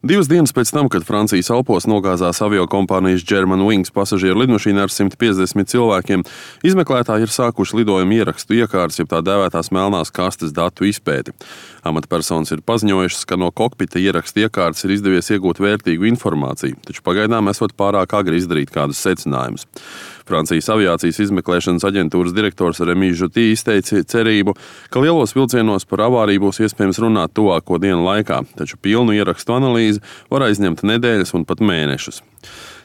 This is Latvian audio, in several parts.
2 dienas pēc tam, kad Francijas Alpos nogāzās aviokompānijas Germanwings pasažieru lidmašīna ar 150 cilvēkiem, izmeklētāji ir sākuši lidojumu ierakstu iekārtas, jeb tā dēvētās melnās kastes datu izpēti. Amatpersonas ir paziņojušas, ka no kokpita ierakstu iekārtas ir izdevies iegūt vērtīgu informāciju, taču pagaidām esot pārāk agri izdarīt kādus secinājumus. Francijas aviācijas izmeklēšanas aģentūras direktors Rémi Jutti izteica cerību, ka lielos vilcienos par avāriju būs iespējams runāt tuvāko dienu laikā, taču pilnu ierakstu analīzi var aizņemt nedēļas un pat mēnešus.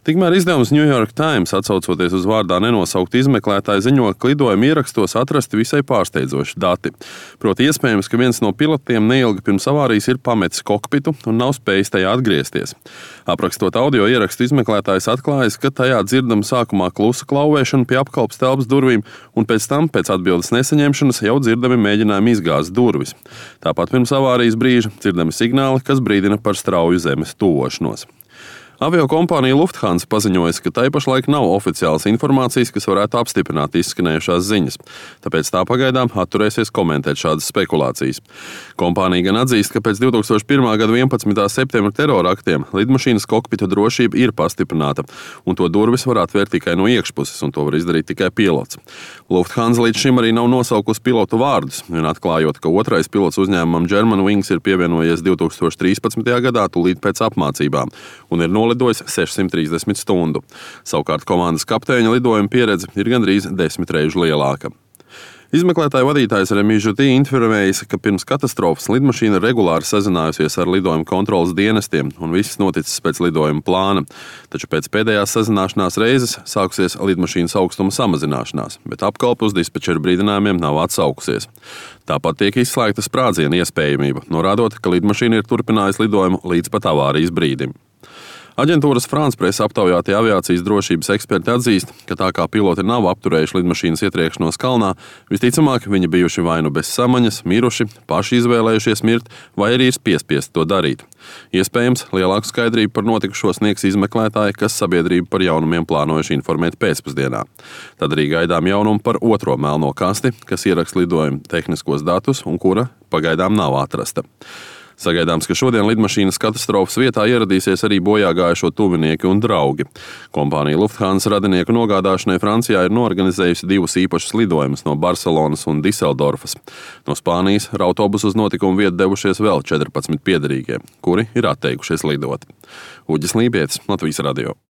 Tikmēr izdevums New York Times, atsaucoties uz vārdā nenosauktu izmeklētāju, ziņo, ka lidojuma ierakstos atrasti visai pārsteidzoši dati. Proti iespējams, ka viens no pilotiem neilgi pirms avārijas ir pametis kokpitu un nav spējis tajā atgriezties. Aprakstot audio ierakstu, izmeklētājs atklājas, ka tajā dzirdama sākumā klusa klauvēšana pie apkalpes telpas durvīm, un pēc tam, pēc atbildes nesaņemšanas, jau dzirdami mēģinājumi izgāzt durvis. Tāpat pirms avārijas brīža dzirdami signāli, kas brīdina par strauju zemes tuvošanos. Aviokompānija Lufthansa paziņojas, ka tai pašlaik nav oficiālas informācijas, kas varētu apstiprināt izskanējušās ziņas, tāpēc tā pagaidām atturēsies komentēt šādas spekulācijas. Kompānija gan atzīst, ka pēc 2001. gada 11. septembra terora aktiem lidmašīnas kokpita drošība ir pastiprināta, un to durvis var atvērt tikai no iekšpuses, un to var izdarīt tikai pilots. Lufthansa līdz šim arī nav nosaukusi pilotu vārdus, un atklājot, ka otrais pilots uzņēmumam Germanwings ir pievienojies 2013. gadā tūlīt pēc apmācībām, un ir lidojis 630 stundu. Savukārt komandas kapteiņa lidojuma pieredze ir gandrīz 10 reižu lielāka. Izmeklētāja vadītājs Rémi Jutti informējis, ka pirms katastrofas lidmašīna regulāri sazinājusies ar lidojuma kontrolas dienestiem un viss noticis pēc lidojuma plāna. Taču pēc pēdējās sazināšanās reizes sākusies lidmašīnas augstuma samazināšanās, bet apkalpe uz dispečeru brīdinājumiem nav atsaukusies. Tāpat tiek izslēgta sprādziena iespējamība, norādot, ka lidmašīna ir turpinājusi lidojumu līdz pat avārijas brīdim. Aģentūras France Presse aptaujātie aviācijas drošības eksperti atzīst, ka tā kā piloti nav apturējuši lidmašīnas ietriekšanos kalnā, visticamāk viņi bijuši vai nu bez samaņas, miruši, paši izvēlējušies mirt, vai arī ir piespiesti to darīt. Iespējams, lielāku skaidrību par notikušo sniegs izmeklētāji, kas sabiedrību par jaunumiem plānojuši informēt pēcpusdienā. Tad arī gaidām jaunumu par otro melno kasti, kas ieraksta lidojuma tehniskos datus un kura pagaidām nav atrasta. Sagaidāms, ka šodien lidmašīnas katastrofas vietā ieradīsies arī bojā gājušo tuvinieki un draugi. Kompānija Lufthansa radinieku nogādāšanai Francijā ir norganizējusi 2 īpašus lidojumus no Barcelonas un Diseldorfas. No Spānijas ar autobusu uz notikumu vietu devušies vēl 14 piederīgie, kuri ir atteikušies lidot. Uģis Lībietis, Latvijas radio.